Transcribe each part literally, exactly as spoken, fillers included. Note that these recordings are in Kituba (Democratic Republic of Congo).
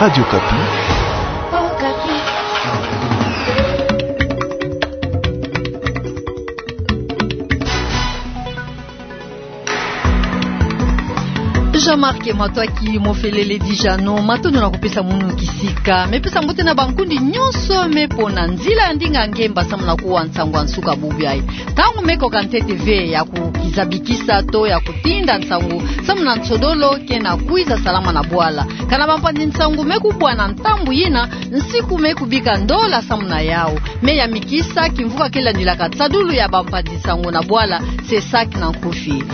Radio Okapi. Jean-Marc Matwaki Mofelele Dijano, matondo na kupesa munu kisika. Me pesa mbote na bankundi nyonso me pona nzila ya ndinga ngemba samu na kuwa nsangu ya nsuka bubu yayi. Ntangu me koka ntete ve ya kukizabikisa to ya kutinda nsangu samu na nsodolo ke na kwiza salama na bwala. Kana bampanzi nsangu me kubwa na ntambu yina, nsiku me kubika ndola samu na yawu. Me yamikisa kimvuka ke landilaka nsadulu ya bampanzi nsangu na bwala, CESAC na nkufi.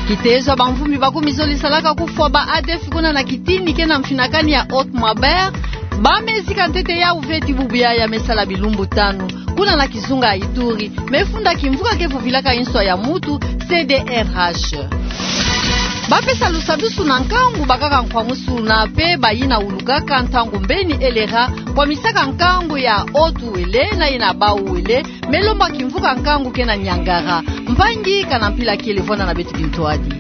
Kitezo ya bamvumbi makumi zole salaka kufwa ba ADF kuna na kitini ke na mfinakani ya Haute Maubert. Ba me zika ntete yawu ve ti bubu yayi, ya me sala bilumbu tanu kuna na kizunga ya Ituri, me funda kimvuka ke vuvilaka inswa ya mutu, C D R H. Ba pesa lusadusu na nkangu bakaka nkwamusu na pe bayina wulukaka ntangu mbeni elera, kwamisaka nkangu ya Haute Uele na yina Bas-Uele, me lomba kimvuka nkangu ke na Niangara. Mpangi, kana mpila kele, vwanda na beto kintwadi.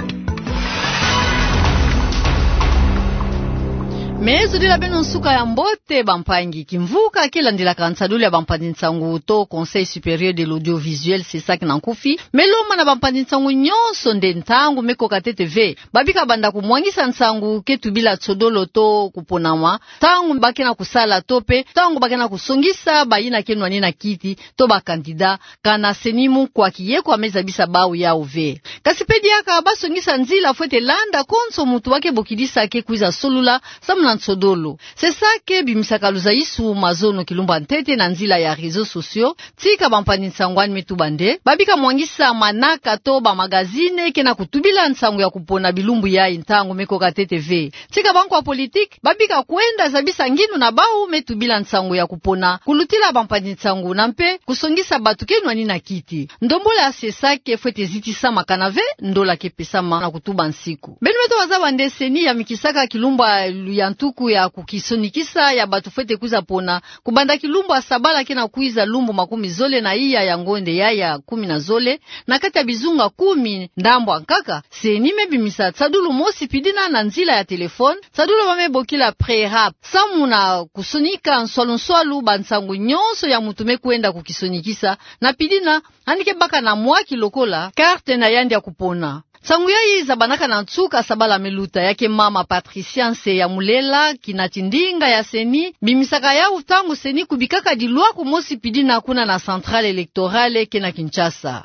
Me zodila beno nsuka ya mbote, bampangi. Kimvuka ke landilaka nsadulu ya bampanzi nsangu to Conseil Supérieur de l'Audiovisuel, CESAC na nkufi, me lomba na bampanzi nsangu nyonso nde ntangu me koka ntete ve, babika banda kumwangisa nsangu ke tubila nsodolo to kuponama, ntangu ba ke na kusala to pe ntangu ba ke na kusongisa bayina ke nwani na kiti to ba candidat, kana CENI munkwa kieko a me zabisa bawu yawu ve. Kasi pe diaka ba songisa nzila fwete landa konso mutu ba ke bokidisa ke kwiza solula samu na nsodolo. CESAC ke bimisaka luzaisu mazono kilumbu ya ntete na nzila ya réseaux sociaux, tika bampanzi nsangu ani me tuba nde, babika mwangisa manaka to ba magazine ke na kutubila nsangu ya kupona bilumbu yayi ntangu me koka ntete ve. Tika bankwa politique, babika kwenda zabisa ngindu na bawu me tubila nsangu ya kupona, kulutila bampanzi nsangu na mpe kusongisa batu ke nwani na kiti. Ndombolo ya CESAC ke fwete zitisama kana ve ndola ke pesama na kutuba nsiku. Beno me to wazaba nde CENI yamikisaka kilumbu ya ntuku ya kukisonikisa ya batu fwete kwiza pona, kubanda kilumbu ya sabala ke na kwiza lumbu makumi zole na iya ya ngonde yayi ya kumi na zole, na kati ya bizunga kumi ndambu ya nkaka. CENI me bimisa nsadulu mosi pidina na nzila ya téléphone, nsadulu ba me bokila pré-rap, samu na kusonika nswalu nswalu bansangu nyonso ya mutu me kwenda kukisonikisa, na pidina, yandi ke baka na mwa ki lokola carte na yandi ya kupona. Nsangu yayi zabanaka na nsuka sabala me luta. Ya ke mama Patricia Nseyamulela, kinati ndinga ya CENI, bimisaka yawu ntangu CENI kubikaka dilwaku mosi pidina kuna na centrale électorale ke na Kinshasa.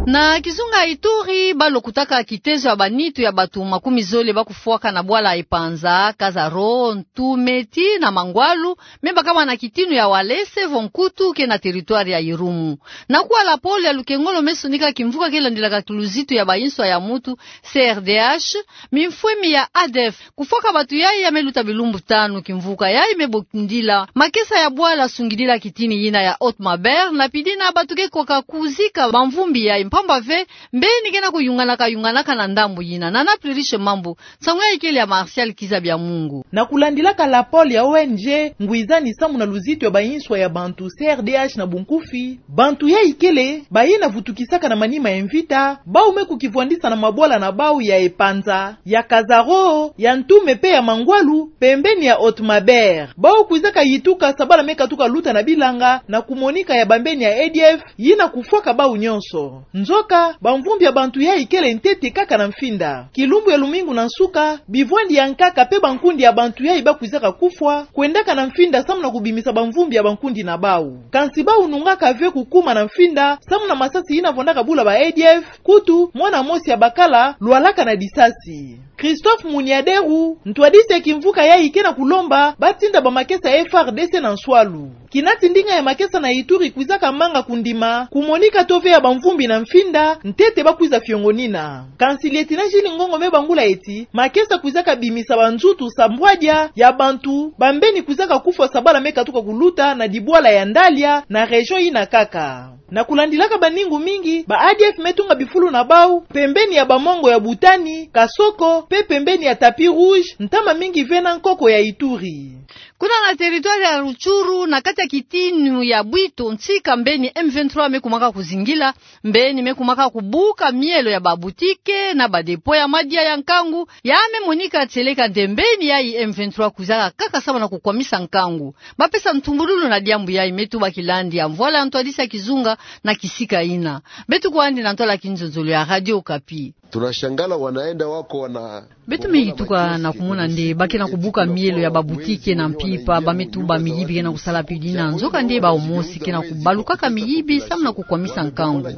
Na kizunga Ituri, ba lokutaka kitezo ya banitu ya batu makumi zole ba kufwaka na bwala Epanza, Kazaro, Ntume tii na Mangwalu, me bakama na kitinu ya Walese vo Nkutu ke na territoire ya Irumu. Na kuwa lapolo ya lukengolo me sonika kimvuka ke landilaka kiluzitu ya bayinswa ya mutu, C R D H, mimfwemi ya ADF. Kufwaka batu yayi ya me luta bilumbu tanu. Kimvuka yayi me bokindila makesa ya bwala sungidila kitini yina ya Haute Maubert, na pidina batu ke koka kuzika bamvumbi yayi mpamba ve mbeni ke na kuyunganaka yunganaka na ndambu yina. Nana Pluriche Mambu, nsangu yayi kele ya Martial Kizabia Mungu. Na kulandilaka lapolo ya O N G ngwizani samu na luzitu ya bayinswa ya bantu, C R D H na bunkufi, bantu yayi kele bayina vutukisaka na manima ya mvita, bawu me kukivwandisa na mabwala na bawu ya Epanza, ya Kazaro, ya Ntume pe ya Mangwalu, pembeni ya Haute Maubert. Bawu kwizaka yituka sabala me katuka luta na bilanga na kumonika ya bambeni ya ADF yina kufwaka bawu nyonso. Nzoka, bamvumbi ya bantu yayi kele ntete kaka na mfinda. Kilumbu ya lumingu na nsuka, bivwandi ya nkaka pe bankundi ya bantu yayi ba kwizaka kufwa, kwendaka na mfinda samu na kubimisa bamvumbi ya bankundi na bawu. Kansi bawu nungaka ve kukuma na mfinda, samu na masasi yina vwandaka bula ba ADF, kutu, mwana mosi ya bakala lwalaka na disasi. Christophe Muniaderu, ntwadisi ya kimvuka yayi ke na kulomba ba tinda bamakesa ya F A R D C na nswalu. Kinati ndinga ya makesa na Ituri kwizaka manga kundima kumonika to ve ya bamvumbi na mfinda, ntete ba kwiza fiongonina. Kansi Lieutenant Gilles Ngongo me bangula eti, makesa kwizaka bimisa banzutu sambwadia ya bantu, bambeni kwizaka kufwa sabala me katuka kuluta na dibwala ya Ndalia, na région yina kaka. Na kulandilaka baningu mingi, ba ADF me tunga bifulu na bawu pembeni ya bamongo ya Butani, Kasoko, pe pembeni ya Tapis Rouge, ntama mingi ve na nkoko ya Ituri. Kuna na territoire ya Rutshuru, na kati ya kitinu ya Bwito, ntsika mbeni M vingt-trois me kumaka kuzingila, mbeni me kumaka kubuka mielo ya ba boutique na ba dépôt ya madia ya nkangu, ya me monika tieleka nde mbeni yayi M vingt-trois kwizaka kaka samu na kukwamisa nkangu. Ba pesa ntumbululu na diambu yayi, Me Tuba Kilandi, ya mvwala ya ntwadisi ya kizunga na kisika yina. Beto kwandi na ntwala ya kinzonzolo ya Radio Okapi. Tunashangala wanaenda wako wana Beto me yituka na kumona nde ba ke na kubuka mielo ya ba boutique na mpimpa, ba me tuba miyibi ke na kusala pili yina, nzokande bawu mosi ke na kubalukaka miyibi samu na kukwamisa nkangu.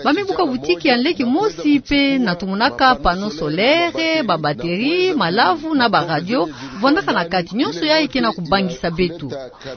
Ba me buka boutique ya nleke mosi pe na tumonaka panneau solaire, ba batterie, malavu na ba radio, vwandaka na kati, nyonso yayi ke na kubangisa beto.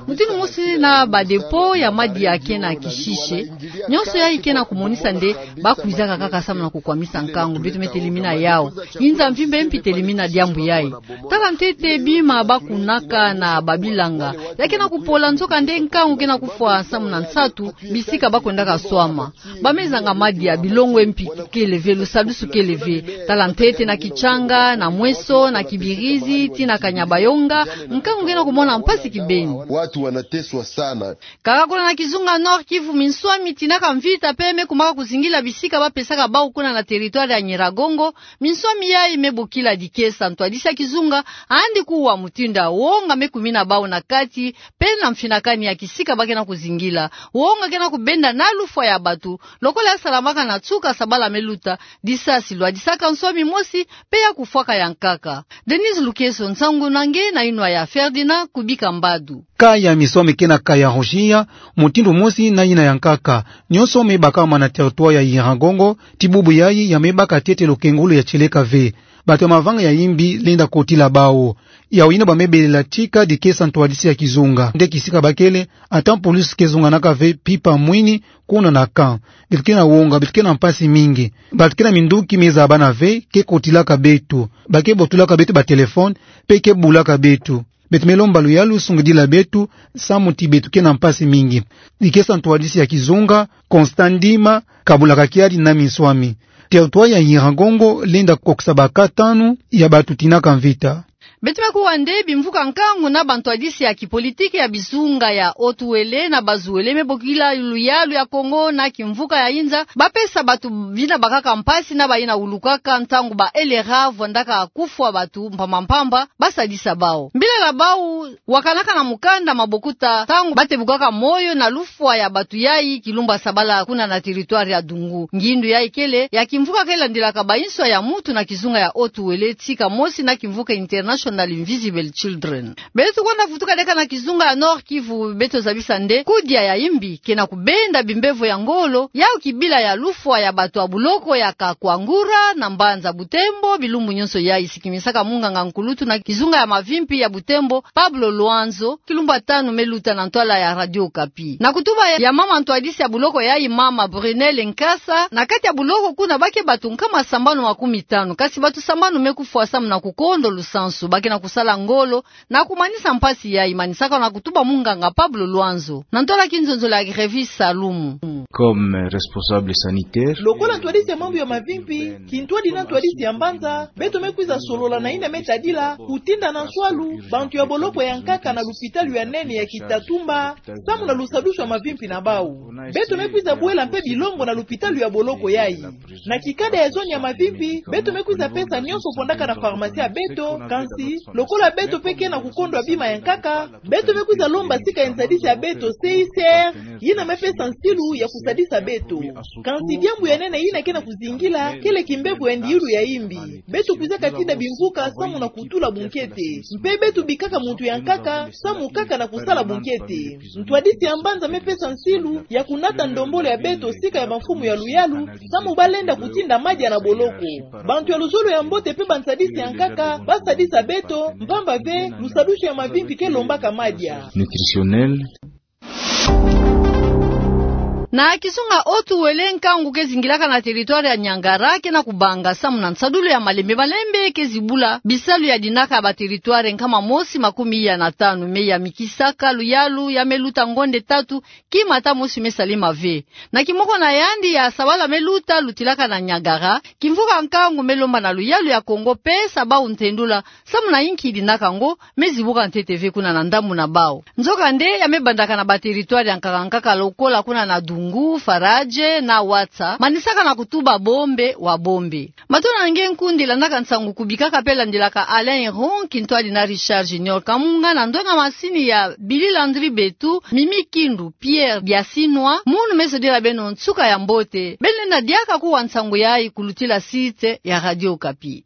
Mutindu mosi na ba dépôt ya madia ke na kishishe, nyonso yayi ke na kumonisa nde ba kwizaka kaka samu na kukwamisa nkangu. Beto me telemina yawu. Inza mvimba mpi telemina diambu yayi. Tala ntete bima ba kunaka na ba bilanga. Ya ke na kupola, nzokande nkangu ke na kufwa samu na nsatu bisika ba kwendaka swama. Ba me zanga madia, bilongo mpi kele ve, lusadusu kele ve. Tala ntete na Kitshanga, na Mweso, na Kibirizi, tii na Kanyabayonga, nkangu ke na kumona mpasi kibeni. Watu wanateswa sana. Kaka kuna na kizunga Nord-Kivu, minswami tinaka mvita pe me kumaka kuzingila bisika ba pesaka bawu kuna na territoire ya Nyiragongo. Minswami yayi me bokila dikesa. Ntwadisi ya kizunga andi kuwa mutindu ya wonga me kumina bawu na kati, pe na mfinakani ya kisika ba ke na kuzingila. Wonga ke na kubenda na lufwa ya bato, lokola ya salamaka na nsuka sabala me luta, disasi lwadisaka nswami mosi, pe ya kufwaka ya nkaka. Denise Lukeso, nsangu na nge na yinwa ya Ferdinand Kubika Mbadu. Kaya minswami ke na kaya rosia, mutindu mosi na yina ya nkaka. Nyonso me baka mana territoire ya Nyiragongo, ti bubu yayi ya me baka ntete lukengolo ya tieleka ve. Bato ya mavanga ya yimbi lenda kotila bawu. Yawu yina ba me belela tika dikesa ntwadisi ya kizunga. Nde kisika ba kele, ata police ke zonganaka ve mpimpa mwini, kuna na camp. Beto ke na wonga, beto ke na mpasi mingi. Bato ke na minduki me zabana ve, ke kotilaka beto. Ba ke botolaka beto ba téléphone, pe ke bulaka beto. Beto me lomba luyalu sungidila beto, samu ti beto ke na mpasi mingi. Dikesa ntwadisi ya kizunga, Constant Ndima, kabulaka kiadi na minswami. Territoire ya Nyiragongo lenda kokisa ba cas tanu ya bato tinaka mvita. Beto me kuwa nde bimvuka nkangu na ba ntwadisi ya kipolitiki ya bizunga ya Haut-Uele na Bas-Uele me bokila luyalu ya Kongo na kimvuka ya inza, ba pesa bato bina bakaka mpasi na bayina wulukaka ntangu ba L R A vwandaka kufwa bato mpamba mpamba, ba sadisa bawu. Mbila la bawu wakanaka na mukanda mabokuta ntangu ba tebukaka moyo na lufwa ya bato yayi kilumbu sabala kuna na territoire ya Dungu. Ngindu yayi kele ya kimvuka ke landilaka ba inswa ya mutu na kizunga ya Haut-Uele, tika mosi na kimvuka International Invisible Children. Beto kwenda vutuka deka na kizunga ya Nord-Kivu, beto zabisa nde kudia ya yimbi ke na kubenda bimbevo ya ngolo, yawu kibila ya lufwa ya bato ya buloko ya Kakwangura na mbanza Butembo, bilumbu nyonso yayi, sikimisaka munganga nkulutu na kizunga ya mavimpi ya Butembo, Pablo Luanzo, kilumbu ya tanu me luta na ntwala ya Radio Okapi. Na kutuba ya mama ntwadisi ya buloko yayi, mama Brunelle Nkasa, na kati ya buloko kuna ba ke bato nkama sambanu makumi tanu, kasi bato sambanu me kufwa samu na kukondo lusansu, ba ke na kusala ngolo na kumanisa mpasi yayi, manisaka na kutuba munganga Pablo Luanzo, na ntwala kinzonzolo ya Grevis Salumu. Comme responsable sanitaire, lokola ntwadisi ya mambu ya mavimpi, kintwadi na ntwadisi ya mbanza, beto me kwiza solola na yina me tadila kutinda na nswalu bantu ya boloko ya nkaka na lupitalu ya nene ya Kitatumba, samu na lusadusu ya mavimpi na bawu. Beto me kwiza bwela mpe bilongo na lupitalu ya boloko yayi. Na kikada ya zone ya mavimpi, beto me kwiza pesa nyonso vwandaka na pharmacie ya beto, kansi lokola beto mpe ke na kukondwa bima ya nkaka, beto me kwiza lomba sika ya nsadisi ya beto, C I C R, yina me pesa nsilu ya kusadisa beto. Kansi diambu ya nene yina ke na kuzingila, kele kimbevo ya ndiulu ya yimbi. Beto kwizaka tinda bimvuka samu na kutula bunkete. Mpe beto bikaka muntu ya nkaka, samu kaka na kusala bunkete. Ntwadisi ya mbanza me pesa nsilu ya kunata ndombolo ya beto sika ya bamfumu ya luyalu, samu ba lenda kutinda madia na boloko. Bantu ya luzolo ya mbote mpe bansadisi ya nkaka ba sadisa beto, mpamba ve lusadusu ya mavimpi ke lombaka madia. Nutritionnel. Na kisunga otu wele nkangu ke zingilaka na territoire ya Niangara ke na kubanga samu na nsadulu ya malembe malembe ke zibula bisalu ya dinaka ya ba territoire nkama mosi makumi ya na tanu, me ya Mikisaka, Luyalu, ya Meluta, Ngonde Tatu, kima ata mosi me Salima ve. Na kimoko na yandi ya sabala me luta lutilaka na Niagara, kimvuka nkangu me lomba na Luyalu ya Kongo pesa bau ntendula samu na inki dinaka ngo me zibuka ntete ve kuna na ndambu na bau. Nzokande ya me bandaka na ba territoire ya nkaka nkaka lokola kuna na Dungu, Faradje na Ouatsa, manisaka na kutuba bombe wa bombe. Matona nge nkundi landaka nsangu kubikaka pe landilaka Alain Iron, kintwadi na Richard Junior Kamunga, na ndonga masini ya Billy Landry Betu, Mimi Kindu, Pierre Biasinwa, munu me sodila beno nsuka ya mbote. Beno lenda diaka kuwa nsangu yayi kulutila site ya Radio Okapi.